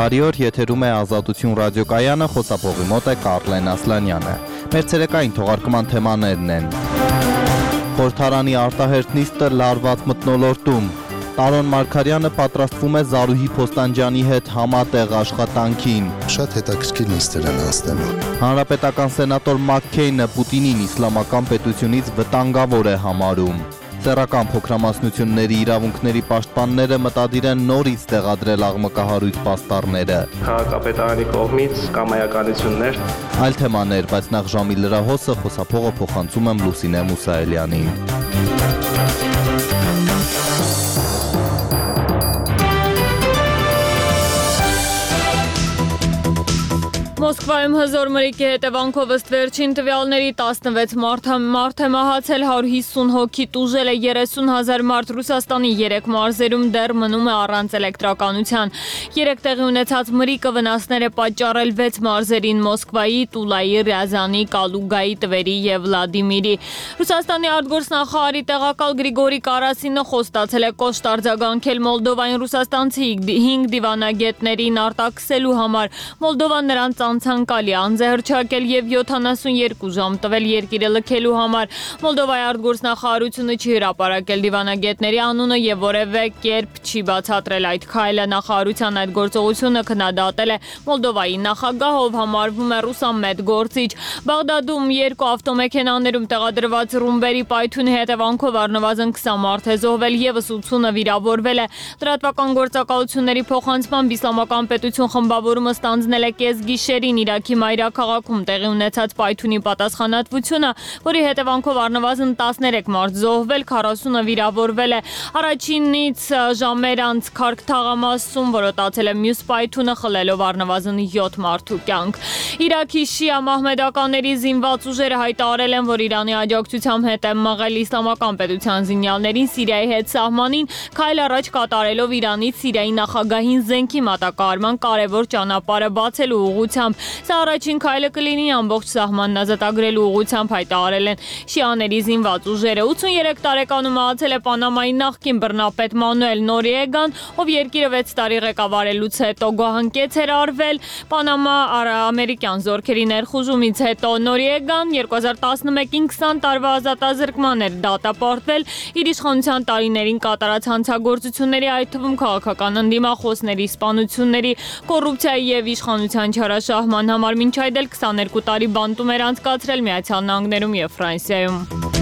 Բարի օր, եթերում է Ազատություն ռադիոկայանը, խոսափողի մոտ է Կարլեն Ասլանյանը։ Մեր ցերեկային թողարկման թեմաներն են. Խորհրդարանի արտահերթ նիստը լարված մթնոլորտում, Տարոն Մարգարյանը պատրաստվում է Զարուհի Փոստանջյանի հետ համատեղ աշխատանքին։ Շատ հետաքրքիր նիստեր են անցնելու։ Հանրապետական սենատոր Մաքքեյնը Պուտինին իսլամական պետությունից վտանգավոր է համարում։ Սեռական փոքրամասնությունների իրավունքների պաշտպանները մտադիր են նորից տեղադրել աղմկահարույց պաստառները։ Քաղաքապետարանի կողմից կամայականություններ։ Այլ թեմաներ, բայց նախ ժամի լրահոսը խոսափողը փոխանցում եմ Լուսինե Մուսայելյանին։ Մոսկվայում հզոր մրրիկի հետևանքով ըստ վերջին տվյալների 16 մարդ է մահացել, 150 հոգի տուժել է, 30,000 մարդ Ռուսաստանի 3 մարզերում դեռ մնում է առանց էլեկտրականության։ 3 տեղի ունեցած մրրիկը վնասներ է պատճառել 6 մարզերին՝ Մոսկվայի, Տուլայի, Ռիազանի, Կալուգայի, Տվերի և Վլադիմիրի։ Ռուսաստանի արտգործնախարարի տեղակալ Գրիգորի Կարասինը խոստացել է կոշտ արձագանքել Մոլդովային ռուսաստանցի 5 դիվանագետներին արտաքսելու համար։ Մոլդովան նրանց ցանկալի անձ է հռչակել և 72 ժամ տվել երկիրը լքելու համար։ Մոլդովայի արտգործնախարարությունը չի հրապարակել դիվանագետների անունը և որևէ կերպ չի բացատրել այդ քայլը։ Նախարարության այդ գործողությունը քննադատել է Մոլդովայի նախագահը, ով համարվում է ռուսամետ գործիչ։ Բաղդադում 2 ավտոմեքենաներում տեղադրված ռումբերի պայթյունի հետևանքով առնվազն 20 մարդ է զոհվել, ևս 80-ը վիրավորվել է։ Լրատվական գործակալությունների փոխանցմամբ Իսլամական պետություն խմբավորումը ստանձնել է կեսգիշերին Իրաքի մայրաքաղաքում տեղի ունեցած պայթյունի պատասխանատվությունը, որի հետևանքով առնվազն 13 մարդ զոհվել, 40-ը վիրավորվել է։ Առաջինից ժամեր անց Քարք թաղամասում որոտացել է մյուս պայթյունը, խլելով առնվազն 7 մարդու կյանք։ Իրաքի շիա մահմեդականների զինված ուժերը հայտարարել են, որ Իրանի աջակցությամբ հետ են մղել Իսլամական պետության զինյալներին Սիրիայի հետ սահմանին, քայլ առաջ կատարելով Իրանից Սիրիայի նախագահին զենքի մատակարարման կարևոր ճանապարհը բացելու ուղղությամբ։ Սա առաջին քայլը կլինի ամբողջ սահմանն ազատագրելու ուղղությամբ, հայտարարել են շիաների զինված ուժերը։ 83 տարեկանում մահացել է Պանամայի նախկին բռնապետ Մանուել Նորիեգան, ով երկիրը 6 տարի ղեկավարելուց հետո գոհանկեց էր արվել Պանամա ամերիկյան զորքերի ներխուժումից հետո։ Նորիեգան 2011-ին 20 տարվա ազատազրկման էր դատապարտվել իր իշխանության տարիներին կատարած հանցագործությունների, այդ թվում քաղաքական ընդդիմախոսների սպանությունների, կոռուպցիայի և իշխանության չարաշահման համար, մինչ այդ էլ 22 տարի բանտում էր անցկացրել Միացյալ Նահանգներում և Ֆրանսիայում։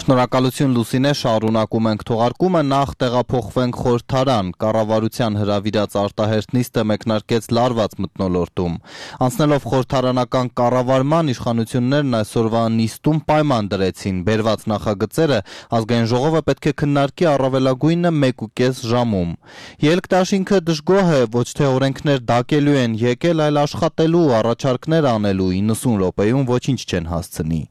Շնորհակալություն Լուսինե, շարունակում ենք թողարկումը, նախ տեղափոխվենք խորհրդարան։ Կառավարության հրավիրած արտահերթ նիստը մեկնարկեց լարված մթնոլորտում։ Անցնելով խորհրդարանական կառավարման, իշխանություններն այսօրվա նիստում պայման դրեցին։ Բերված նախագծերը ազգային ժողովը պետք է քննարկի առավելագույնը 1.5 ժամում։ Ելք դաշինքը դժգոհ է, ոչ թե օրենքներ դակելու են եկել, այլ աշխատելու, առաջարկներ անելու 90 րոպեում ոչինչ չեն հասցնի։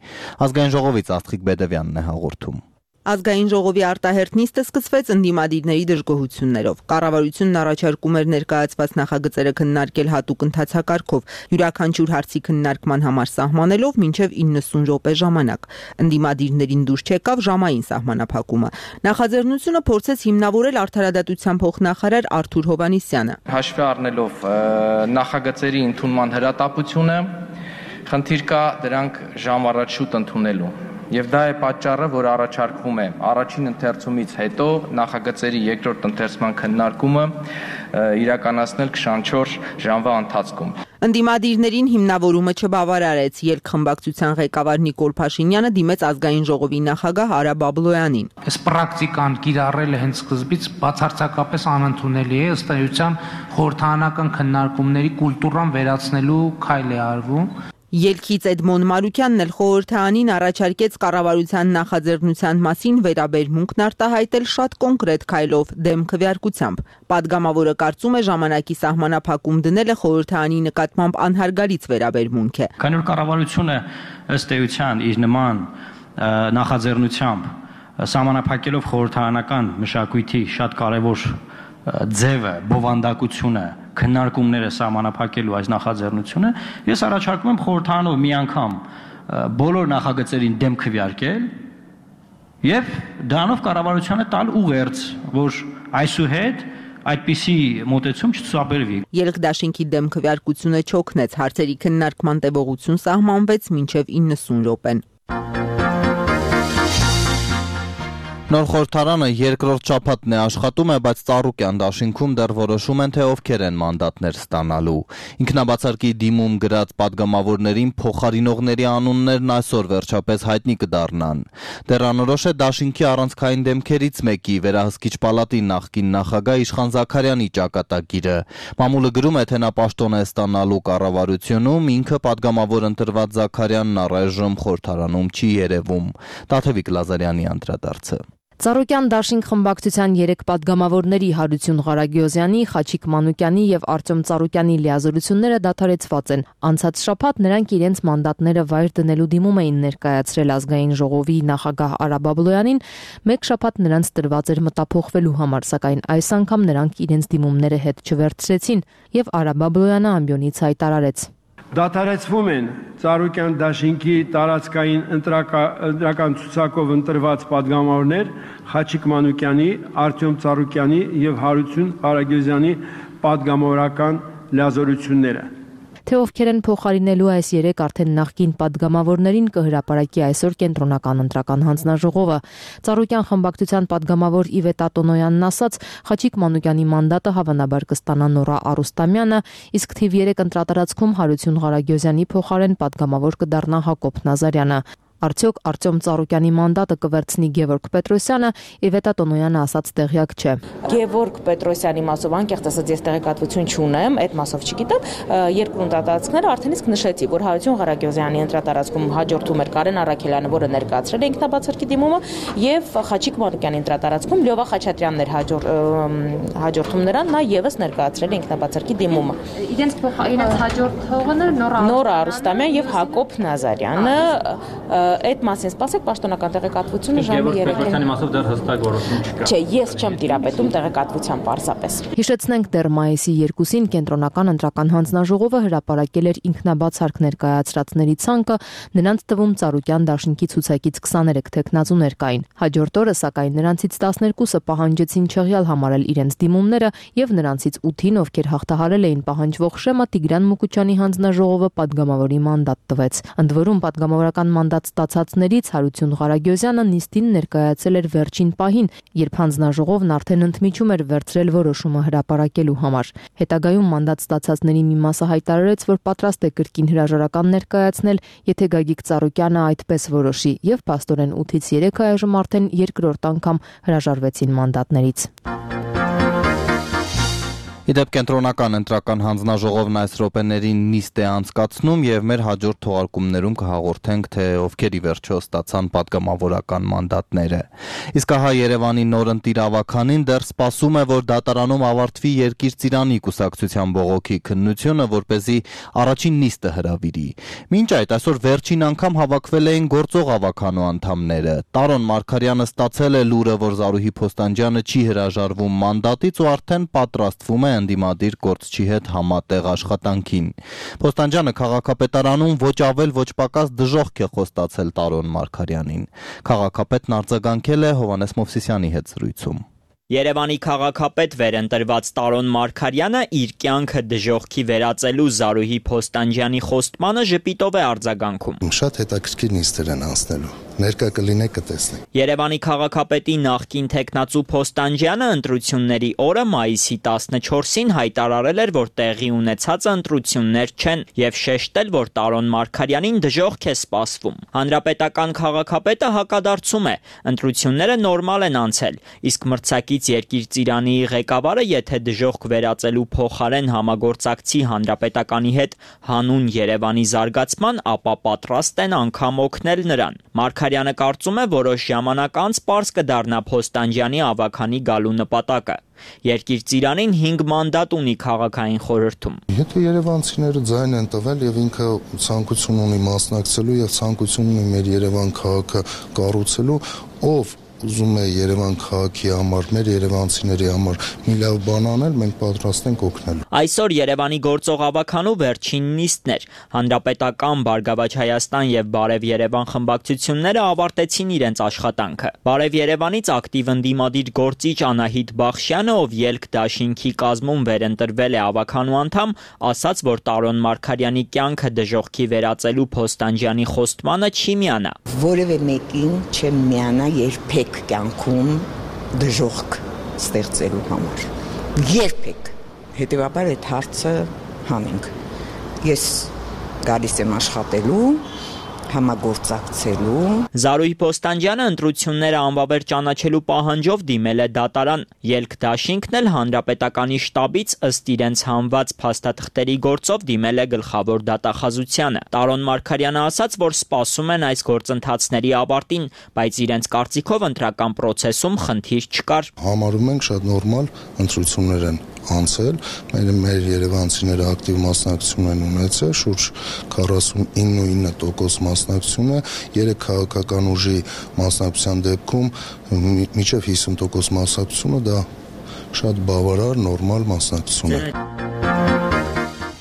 Ազգային ժողովից Աստղիկ Բեդևյանն է հաղորդում։ Ազգային ժողովի արտահերթ նիստը սկսվեց ընդդիմադիրների դժգոհություններով։ Կառավարությունն առաջարկում էր ներկայացված նախագծերը քննարկել հատուկ ընթացակարգով, յուրաքանչյուր հարցի քննարկման համար սահմանելով մինչև 90 րոպե ժամանակ։ Ընդդիմադիրներին դուր չեկավ ժամային սահմանափակումը։ Նախաձեռնությունը փորձեց հիմնավորել արդարադատության փոխնախարար Արթուր Հովհաննիսյանը։ Հաշվի առնելով նախագծերի ընդունման հրատապությունը, խնդիր կա դրանք ժամ առաջ շուտ ընդունելու։ Եվ դա է պատճառը, որ առաջարկվում է առաջին ընթերցումից հետո նախագծերի երկրորդ ընթերցման քննարկումը իրականացնել 24 ժամվա ընթացքում։ Ընդդիմադիրներին հիմնավորումը չբավարարեց, ելքխմբակցության ղեկավար Նիկոլ Փաշինյանը դիմեց ազգային ժողովի նախագահ Արա Բաբլոյանին։ Այս պրակտիկան կիրառելը հենց սկզբից բացարձակապես անընդունելի է, ըստ էության խորհրդարանական քննարկումների կուլտուրան վերացնելու քայլ է արվում։ Ելքից Էդմոն Մարուկյանն էլ խորհրդարանին առաջարկեց կառավարության նախաձեռնության մասին վերաբերմունքն արտահայտել շատ կոնկրետ քայլով, դեմ քվեարկությամբ։ Պատգամավորը կարծում է ժամանակի սահմանափակում դնելը խորհրդարանի նկատմամբ անհարգալից վերաբերմունք է։ Քանի որ կառավարությունը ըստ էության իր նման նախաձեռնությամբ սահմանափակելով խորհրդարանական մշակույթի շատ կարևոր ձևը, բովանդակությունը, քննարկումները սահմանափակելու այս նախաձեռնությունը, ես առաջարկում եմ խորհրդարանով մի անգամ բոլոր նախագծերին դեմ քվեարկել Եվ դրանով կառավարությանը տալ ուղերձ, որ այսուհետ այդպիսի մոտեցում չցուցաբերվի։ Ելք-դաշինքի դեմ քվեարկությունը չօգնեց, հարցերի քննարկման տևողություն սահմանվեց մինչև 90 րոպեն։ Նոր խորհրդարանը երկրորդ շաբաթն է աշխատում է, բայց Ծառուկյան դաշինքում դեռ որոշում են, թե ովքեր են մանդատներ ստանալու։ Ինքնաբացարկի դիմում գրած падգամավորներին փոխարինողների անուններն այսօր վերջապես հայտնի կդառնան։ Դեռ անորոշ է դաշինքի առանցքային դեմքերից մեկի վերահսկիչ պալատի նախկին նախագահ Իշխան Զաքարյանի ճակատագիրը։ Մամուլը գրում է, թե նա պաշտոն է ստանալու կառավարությունում, ինքը падգամավոր ընտրված Զաքարյանն առայժմ խորհրդարանում չի երևում։ Տաթևիկ Լազարյանի անդրադարձը։ Ծառուկյան դաշինք խմբակցության 3 падգամավորների Հարություն Ղարագյոզյանի, Խաչիկ Մանուկյանի եւ Արտյոմ Ծառուկյանի լիազորությունները դադարեցված են։ Անցած շաբաթ նրանք իրենց մանդատները վայր դնելու դիմում էին ներկայացրել ազգային ժողովի նախագահ Արա Բաբլոյանին, մեկ շաբաթ նրանց տրված էր մտափոխվելու համար, սակայն այս անգամ նրանք իրենց դիմումները հետ չվերցրեցին եւ Արա Բաբլոյանը ամբիոնից հայտարարեց. Դադարեցվում են Ծառուկյան դաշինքի տարածքային ընտրական ցուցակով ընտրված падգամավորներ Խաչիկ Մանուկյանի, Արտյոմ Ծառուկյանի եւ Հարություն Ղարագյոզյանի падգամավորական լիազորությունները։ Թե ովքեր են փոխարինելու այս 3 արդեն նախկին падգամավորներին կհրապարակի այսօր կենտրոնական ընտրական հանձնաժողովը։ Ծառուկյան խմբակցության падգամավոր Իվետա Տոնոյանն ասաց, Խաչիկ Մանուկյանի մանդատը հավանաբար կստանա Նորա Արուստամյանը, իսկ թիվ 3 ընտրատարածքում Հարություն Ղարագյոզյանի փոխարեն падգամավոր կդառնա Հակոբ Նազարյանը։ Արդյոք Արտյոմ Ծառուկյանի մանդատը կվերցնի Գևորգ Պետրոսյանը, Իվետա Տոնոյանը ասաց տեղյակ չէ։ Գևորգ Պետրոսյանի մասով անկեղծ ասած ես տեղեկատվություն չունեմ, այդ մասով չգիտեմ, երկու ընտրատարածքները արդեն իսկ նշեցի, որ Հարություն Ղարագյոզյանի ընտրատարածքում հաջորդում էր Կարեն Առաքելյանը, որը ներկայացրել է ինքնաբացարկի դիմումը, եւ Խաչիկ Մանուկյանի ընտրատարածքում Լյովա Խաչատրյանն էր հաջորդում նրան, նա եւս ներկայացրել է ինքնաբացարկի դիմումը։ Իրենց հաջորդողը Նորա Արուստամյան եւ Հակոբ Նազարյանը այդ մասին սպասեք պաշտոնական տեղեկատվությունը ժամը 3-ին։ Պետրոսյանի մասով դեռ հստակ որոշում չկա։ Չէ, ես չեմ տիրապետում տեղեկատվության պարզապես։ Հիշեցնենք, դեռ մայիսի 2-ին կենտրոնական ընտրական հանձնաժողովը հրապարակել էր ինքնաբացարկ ներկայացրածների ցանկը, նրանց թվում Ծառուկյան դաշինքի ցուցակից 23 թեկնածուներ կային։ Հաջորդ օրը, սակայն, նրանցից 12-ը պահանջեցին չեղյալ համարել իրենց դիմումները եւ նրանցից 8-ին, ովքեր հաղթահարել էին պահանջվող շեմը, Տիգրան Մուկուչյանի հանձնաժողովը падգամավորի մանդատ տվեց։ Ընդ որում падգամավորական մանդատ ստացածներից Հարություն Ղարագյոզյանը նիստին ներկայացել էր վերջին պահին, երբ հանձնաժողովն արդեն ընդմիջում էր վերցրել որոշումը հրապարակելու համար։ Հետագայում մանդատ ստացածների մի մասը հայտարարեց, որ պատրաստ է կրկին հրաժարական ներկայացնել, եթե Գագիկ Ծառուկյանը այդպես որոշի, եւ փաստորեն 8-ից 3-ը այժմ արդեն երկրորդ անգամ հրաժարվեցին մանդատներից։ Իդեպ կենտրոնական ընտրական հանձնաժողովն այս րոպեներին նիստ է անցկացնում եւ մեր հաջորդ թողարկումներում կհաղորդենք, թե ովքեր ի վերջո ստացան падգամավորական մանդատները։ Իսկ ահա Երևանի նոր ընտիր ավականին դեռ սպասում է, որ դատարանում ավարտվի Երկիր ծիրանի կուսակցության բողոքի քննությունը, որպեսզի առաջին նիստը հրավիրի։ Մինչ այդ այսօր վերջին անգամ հավաքվել էին գործող ավականու անդամները։ Տարոն Մարգարյանը ստացել է լուրը, որ Զարուհի Փոստանջյանը չի հրաժարվում մանդատից ու արդեն պատրաստվում է ընդդիմադիր գործչի հետ համատեղ աշխատանքին։ Փոստանջյանը քաղաքապետարանում ոչ ավել ոչ պակաս դժոխք է խոստացել Տարոն Մարգարյանին։ Քաղաքապետն արձագանքել է Հովհաննես Մովսիսյանի հետ զրույցում։ Երևանի քաղաքապետ վերընտրված Տարոն Մարգարյանը իր կյանքը դժոխքի վերածելու Զարուհի Փոստանջյանի խոստմանը ժպիտով է արձագանքում։ Շատ հետաքրքիր նիստեր են անցնելու։ Ներկա կլինեք կտեսնենք։ Երևանի քաղաքապետի նախկին թեկնածու Փոստանջյանը ընտրությունների օրը մայիսի 14-ին հայտարարել էր, որ տեղի ունեցած ընտրություններ չեն եւ շեշտել, որ Տարոն Մարգարյանին դժոխք է սպասվում։ Հանրապետական քաղաքապետը հակադարձում է, ընտրությունները նորմալ են անցել, իսկ մրցակից Երկիր ծիրանի ղեկավարը, եթե դժոխք վերածելու փոխարեն համագործակցի հանրապետականի հետ հանուն Երևանի զարգացման, ապա պատրաստ են անգամ օգնել նրան։ Մարգարյանը կարծում է, որոշ ժամանակ անց պարզ կդառնա Փոստանջյանի ավականի գալու նպատակը։ Երկիր ծիրանին 5 մանդատ ունի քաղաքային խորհրդում։ Եթե երևանցիները ձայն են տվել եւ ինքը ցանկություն ունի մասնակցելու եւ ցանկություն ունի մեր Երևան քաղաքը կառուցելու, ով ուզում է Երևան քաղաքի համար, մեր երևանցիների համար մի լավ բան անել, մենք պատրաստ ենք օգնել։ Այսօր Երևանի գործող ավականու վերջին նիստն էր։ Հանրապետական, Բարգավաճ Հայաստան եւ Բարև Երևան խմբակցությունները ավարտեցին իրենց աշխատանքը։ Բարև Երևանից ակտիվ ընդդիմադիր գործիչ Անահիտ Բախշյանը, ով ելք դաշինքի կազմում վերընտրվել է ավականու անդամ, ասաց, որ Տարոն Մարգարյանի կյանքը դժոխքի վերածելու Փոստանջյանի խոստմանը չի միանա։ Որևէ մեկին չեմ միանա երբեք կյանքում դժոխք ստեղծելու համար։ Երբեք։ Հետևաբար այդ հարցը հանենք։ Ես գալիս եմ աշխատելու, համագործակցելու։ Զարուհի Փոստանջյանը ընտրությունները անվավեր ճանաչելու պահանջով դիմել է դատարան։ Ելք դաշինքն էլ հանրապետականի շտաբից ըստ իրենց հանված փաստաթղթերի գործով դիմել է գլխավոր դատախազությանը։ Տարոն Մարգարյանը ասաց, որ սպասում են այս գործընթացների ավարտին, բայց իրենց կարծիքով ընտրական process-ում խնդիր չկար։ Համարում ենք շատ նորմալ ընտրություններ են անցել, մեր երևանցիները ակտիվ մասնակցություն են ունեցել, շուրջ 49% մասնակցություն է, 3 քաղաքական ուժի մասնակցության դեպքում մինչև 50% մասնակցությունը դա շատ բավարար նորմալ մասնակցություն է։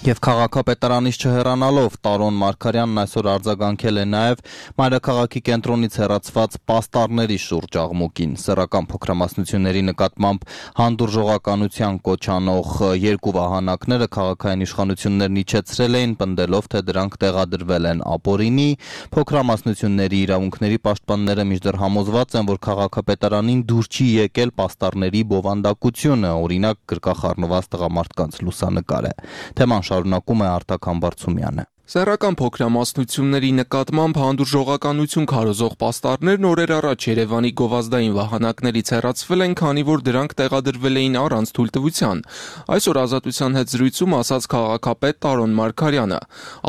Եվ քաղաքապետարանից չհեռանալով Տարոն Մարգարյանն այսօր արձագանքել է նաև մայրաքաղաքի կենտրոնից հեռացված պաստառների շուրջ աղմուկին։ Սեռական փոքրամասնությունների նկատմամբ հանդուրժողականության կոչանող երկու վահանակները քաղաքային իշխանություններն իջեցրել էին, պնդելով, թե դրանք տեղադրվել են ապօրինի։ Փոքրամասնությունների իրավունքների պաշտպանները մինչդեռ համոզված են, որ քաղաքապետարանին դուր չի եկել պաստառների բովանդակությունը, օրինակ գրկախառնված տղամարդկանց լուսանկարը։ Թեման շարունակում է Արտակ Համբարձումյանը։ Սեռական փոքրամասնությունների նկատմամբ հանդուրժողականություն քարոզող պաստառներն օրեր առաջ Երևանի գովազդային վահանակներից հեռացվել են, քանի որ դրանք տեղադրվել էին առանց թույլտվության։ Այսօր Ազատության հետ զրույցում ասաց քաղաքապետ Տարոն Մարգարյանը։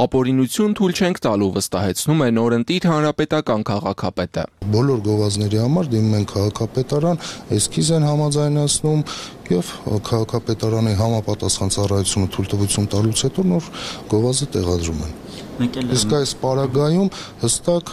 Ապօրինություն թույլ չենք տալու, վստահեցնում է նորընտիր հանրապետական քաղաքապետը։ Բոլոր գովազդների համար դիմում են քաղաքապետարան, էսքիզ են համաձայնացնում եւ քաղաքապետարանի համապատասխան ծառայությունը թույլտվություն տալուց հետո նոր գովազդը տեղադրում են։ Իսկ այս պարագայում հստակ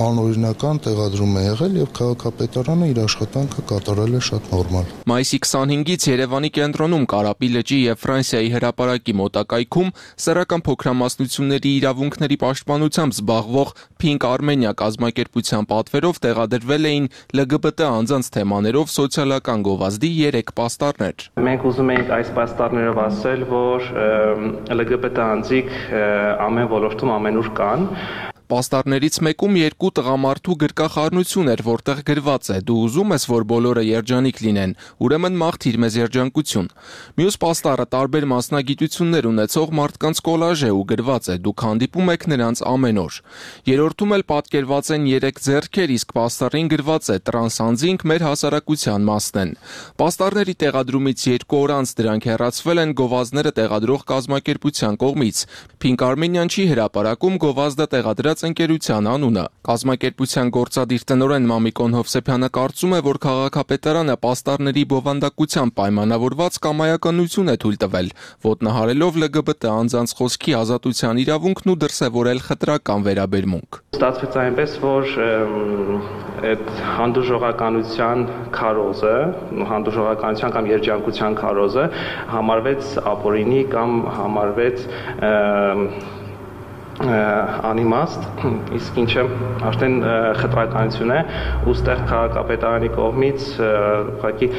անօրինական տեղադրում է եղել եւ քաղաքապետարանը իր աշխատանքը կատարել է շատ նորմալ։ Մայիսի 25-ից Երևանի կենտրոնում Կարապի լճի եւ Ֆրանսիայի հրապարակի մոտակայքում սեռական փոքրամասնությունների իրավունքների պաշտպանությամբ զբաղվող Pink Armenia կազմակերպության պատվերով տեղադրվել էին LGBT անձանց թեմաներով սոցիալական գովազդի 3 պաստառներ։ Մենք ուզում ենք այս պաստառներով ասել, որ LGBT անձիկ ամեն ոլորտում ամենուր կան։ Պաստառներից մեկում երկու տղամարդու գրկախառնություն էր, որտեղ գրված է. «Դու ուզում ես, որ բոլորը երջանիկ լինեն, ուրեմն մաղթիր մեզ երջանկություն»։ Մյուս պաստառը տարբեր մասնագիտություններ ունեցող մարդկանց կոլաժ է ու գրված է. «Դուք հանդիպում եք նրանց ամեն օր»։ Երրորդում էլ պատկերված են 3 ձեռքեր, իսկ պաստառին գրված է. «Տրանս անձինք մեր հասարակության մասն են»։ Պաստառների տեղադրումից 2 օր անց դրանք հեռացվել են գովազդները տեղադրող կազմակերպության կողմից։ Pink Armenian չի հրապարակում գովազդը տեղադրած ընկերության անունը։ Կազմակերպության գործադիր տնօրեն Մամիկոն Հովսեփյանը կարծում է, որ քաղաքապետարանը պաստառների բովանդակությամբ պայմանավորված կամայականություն է թույլ տվել, ոտնահարելով LGBT անձանց խոսքի ազատության իրավունքն ու դրսևորել խտրական վերաբերմունք։ Ստացվեց այնպես, որ այդ հանդուրժողականության քարոզը, հանդուրժողականության կամ երջանկության քարոզը համարվեց ապօրինի կամ համարվեց անիմաստ, իսկ ինչը արդեն խտրականություն է, ուստեղ քաղաքապետարանի կողմից ուղղակի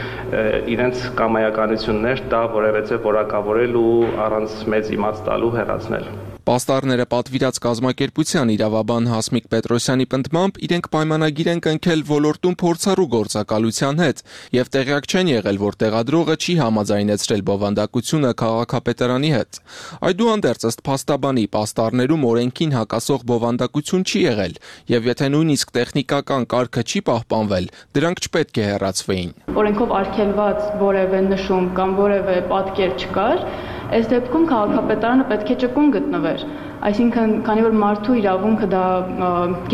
իրենց կամայականություններ դա որևէ որակավորել ու առանց մեծ իմաց տալու հեռացնել։ Պաստառները պատվիրած կազմակերպության իրավաբան Հասմիկ Պետրոսյանի պնդմամբ իրենք պայմանագիր են կնքել ոլորտում փորձառու գործակալության հետ եւ տեղյակ չեն եղել, որ տեղադրողը չի համաձայնեցրել բովանդակությունը քաղաքապետարանի հետ։ Այդուհանդերձ ըստ փաստաբանի պաստառներում օրենքին հակասող բովանդակություն չի եղել եւ եթե նույնիսկ տեխնիկական կարգը չի պահպանվել, դրանք չպետք է հեռացվեին։ Օրենքով արգելված որևէ նշում կամ որևէ պատկեր չկար, այս դեպքում քաղաքապետարանը պետք է ճկուն գտնվեր, այսինքն քանի որ մարդու իրավունքը դա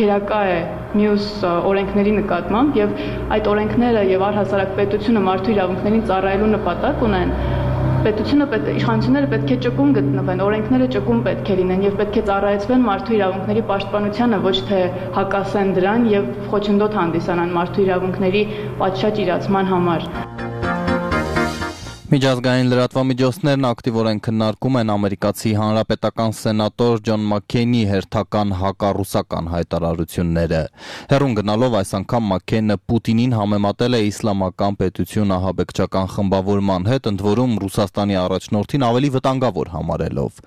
գերակա է մյուս օրենքների նկատմամբ եւ այդ օրենքները եւ առհասարակ պետությունը մարդու իրավունքներին ծառայելու նպատակ ունեն, իշխանությունները պետք է ճկուն գտնվեն, օրենքները ճկուն պետք է լինեն եւ պետք է ծառայեցվեն մարդու իրավունքների պաշտպանությանը, ոչ թե հակասեն դրան եւ խոչընդոտ հանդիսանան մարդու իրավունքների պատշաճ իրացման համար։ Միջազգային լրատվամիջոցներն ակտիվորեն քննարկում են ամերիկացի հանրապետական սենատոր Ջոն Մաքքեյնի հերթական հակառուսական հայտարարությունները։ Հեռուն գնալով այս անգամ Մաքքեյնը Պուտինին համեմատել է իսլամական պետություն ահաբեկչական խմբավորման հետ, ընդ որում Ռուսաստանի առաջնորդին ավելի վտանգավոր համարելով։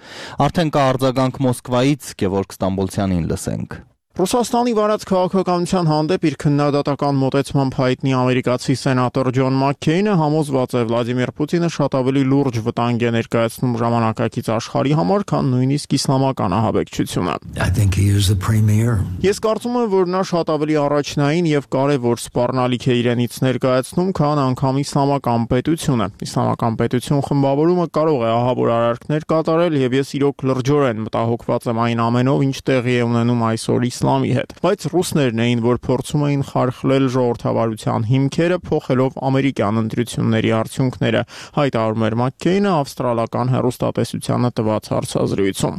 Արդեն կա արձագանք Մոսկվայից, Գևորգ Ստամբոլցյանին լսենք։ Ռուսաստանի վարած քաղաքականության հանդեպ իր քննադատական մոտեցմամբ հայտնի ամերիկացի սենատոր Ջոն Մաքքեյնը համոզված է Վլադիմիր Պուտինը շատ ավելի լուրջ վտանգ է ներկայացնում ժամանակակից աշխարհի համար, քան նույնիսկ իսլամական ահաբեկչությունը։ Ես կարծում եմ, որ նա շատ ավելի առաջնային եւ կարեւոր սպառնալիք է իրենից ներկայացնում, քան անգամ իսլամական պետությունը։ Իսլամական պետություն խմբավորումը կարող է ահավոր արարքներ կատարել եւ ես իրոք լրջորեն մտահոգված եմ այն ամենով, ինչ տեղի է ունենում այսօր իսլամի հետ, բայց ռուսներն էին, որ փորձում էին խարխլել ժողովրդավարության հիմքերը, փոխելով ամերիկյան ընտրությունների արդյունքները, հայտարարում էր Մաքքեյնը ավստրալական հեռուստատեսությանը տված հարցազրույցում։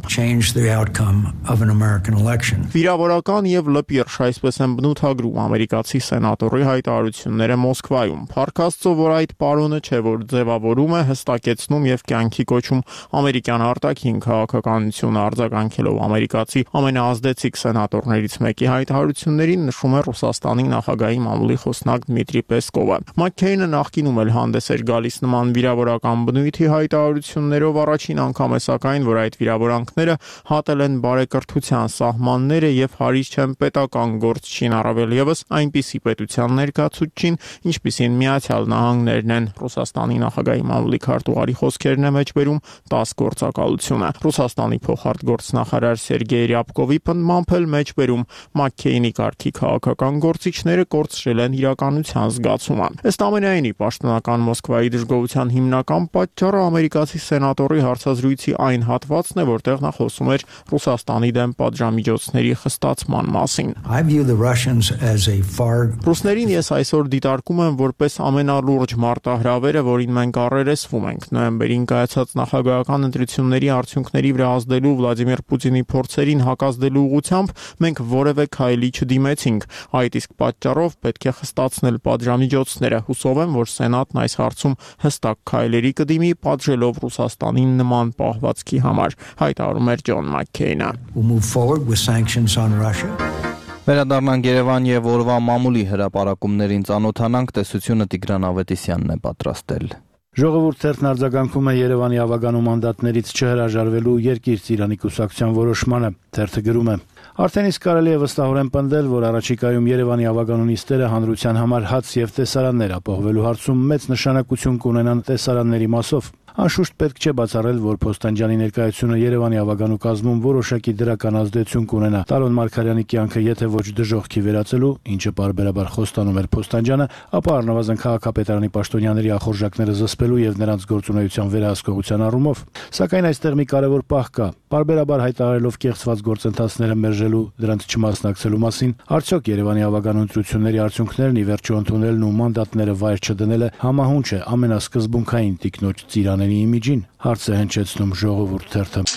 Վիրավորական եւ լպիրշ, այսպես են բնութագրում ամերիկացի սենատորի հայտարարությունները Մոսկվայում։ Փառք Աստծո, որ այդ պարոնը չէ, որ ձևավորում է, հստակեցնում եւ կյանքի կոչում ամերիկյան արտաքին քաղաքականությունը, արձագանքելով ամերիկացի ամենաազդեցիկ սենատորներից մեկի հայտարարություններին, նշում է Ռուսաստանի նախագահի մամուլի խոսնակ Դմիտրի Պեսկովը։ Մաքքեյնը նախկինում էլ հանդես էր գալիս նման վիրավորական բնույթի հայտարարություններով, առաջին անգամ է սակայն, որ այդ վիրավորանքները հատել են բարեկրթության սահմանները եւ հարից չեն պետական գործչին, առավել եւս այնպիսի պետության ներկայացուցչին, ինչպիսին Միացյալ Նահանգներն են։ Ռուսաստանի նախագահի մամուլի քարտուղարի խոսքերն է մեջբերում 10 գործակալությունը։ Ռուսաստանի փոխարտգործնախարար Սերգեյ Ռյաբկովի պնդմամբ էլ մեջբերում Մաքքեյնի կարգի քաղաքական գործիչները կորցրել են իրականության զգացումը։ Ըստ ամենայնի, պաշտոնական Մոսկվայի դժգոհության հիմնական պատճառը ամերիկացի սենատորի հարցազրույցի այն հատվածն է, որտեղ նա խոսում էր Ռուսաստանի դեմ պատժամիջոցների խստացման մասին։ Ռուսներին ես այսօր դիտարկում եմ որպես ամենալուրջ մարտահրավերը, որին մենք առերեսվում ենք։ Նոյեմբերին կայացած նախագահական ընտրությունների արդյունքների վրա ազդելու Վլադիմիր Պուտինի փորձերին հակազդելու ուղղությամբ մենք որևէ քայլի չդիմեցինք։ Այդ իսկ պատճառով պետք է խստացնել պատժամիջոցները։ Հուսով եմ, որ Սենատն այս հարցում հստակ քայլերի կդիմի, պատժելով Ռուսաստանին նման պահվածքի համար, հայտարարում էր Ջոն Մաքքեյնը։ Վերադառնանք Երևան եւ օրվա մամուլի հրապարակումներին ծանոթանանք, տեսությունը Տիգրան Ավետիսյանն է պատրաստել։ Ժողովուրդ թերթն արձագանքում է Երևանի ավագանու մանդատներից չհրաժարվելու Երկիր Ծիրանի կուսակցության որոշմանը։ Թերթը գրում է. Արդեն իսկ կարելի է վստահորեն պնդել, որ առաջիկայում Երևանի ավագանու նիստերը հանրության համար հաց եւ տեսարաններ ապահովելու հարցում մեծ նշանակություն կունենան տեսարանների մասով։ Անշուշտ պետք չէ բացառել, որ Փոստանջյանի ներկայությունը Երևանի ավագանու կազմում որոշակի դրական ազդեցություն կունենա Տարոն Մարգարյանի կյանքը եթե ոչ դժոխքի վերածելու, ինչը պարբերաբար խոստանում էր Փոստանջյանը, ապա առնվազն քաղաքապետարանի պաշտոնյաների ախորժակները զսպելու եւ նրանց գործունեության վերահսկողության առումով։ Սակայն այստեղ մի կարևոր պահ կա։ Պարբերաբար հայտարարելով կեղծված գործընթացները մերժելու, դրանց չմասնակցելու մասին, արդյոք Երևանի ավագանու ընտրությունների արդյունքներն ի վերջո ընդունելն ու մանդատները վայր չդնելը համահունչ է ամենասկզբունքային տիկնոջ Ծիրանենի իմիջին, հարց է հնչեցնում Ժողովուրդ թերթը։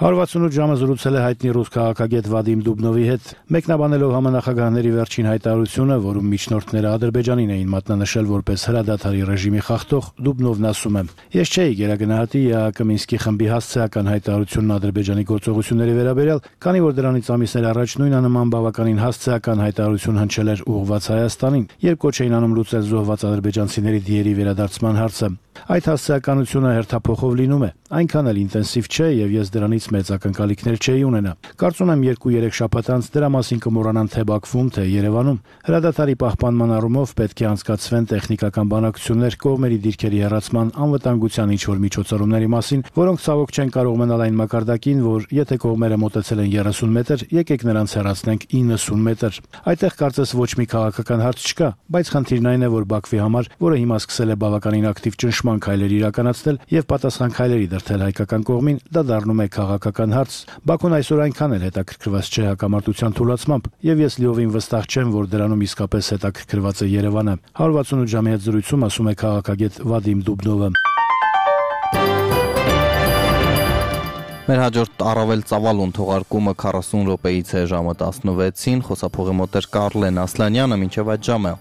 168 ժամը զրուցել է հայտնի ռուս քաղաքագետ Վադիմ Դուբնովի հետ, մեկնաբանելով համանախագահների վերջին հայտարարությունը, որում միջնորդները Ադրբեջանին էին մատնանշել որպես հրադադարի ռեժիմի խախտող, Դուբնովն ասում է. Ես չէի գերագնահատի ԵԱՀԿ Մինսկի խմբի հասցեական հայտարարությունն Ադրբեջանի գործողությունների վերաբերյալ, քանի որ դրանից ամիսներ առաջ նույնանման բավականին հասցեական հայտարարություն հնչել էր ուղղված Հայաստանին, երբ կոչ էին անում լուծել զոհված ադրբեջանցիների դիերի վերադարձման հարցը։ Այդ հասցեականությունը հերթափոխով լինում է, այնքան էլ ինտենսիվ չէ եւ ես դրանից մեծ ակնկալիքներ չէի ունենա։ Կարծում եմ 2-3 շաբաթ անց դրա մասին կմոռանան թե Բաքվում, թե Երևանում։ Հրադադարի պահպանման առումով պետք է անցկացվեն տեխնիկական բանակցություններ կողմերի դիրքերի հեռացման, անվտանգության ինչ-որ միջոցառումների մասին, որոնք ցավոք չեն կարող մնալ այն մակարդակին, որ եթե կողմերը մոտեցել են 30 մետր, եկեք նրանց հեռացնենք 90 մետր։ Այդտեղ կարծես ոչ մի քաղաքական հարց չկա, բայց խնդիրն այն է, որ Բաքվի համար, որը հիմա սկսել է բավականին ակտիվ ճնշման լուծման քայլեր իրականացնել եւ պատասխան քայլերի դրդել հայկական կողմին, դա դառնում է քաղաքական հարց։ Բաքուն այսօր այնքան էլ հետաքրքրված չէ հակամարտության թույլատրմամբ, եւ ես լիովին վստահ չեմ, որ դրանում իսկապես հետաքրքրված է Երևանը։ 168 ժամի հետ զրույցում ասում է քաղաքագետ Վադիմ Դուբնովը։ Մեր հաջորդ առավել ծավալուն թողարկումը 40 րոպեից է ժամը 16-ին, խոսափողի մոտ էր Կարլեն Ասլանյանը, մինչև այդ ժամը։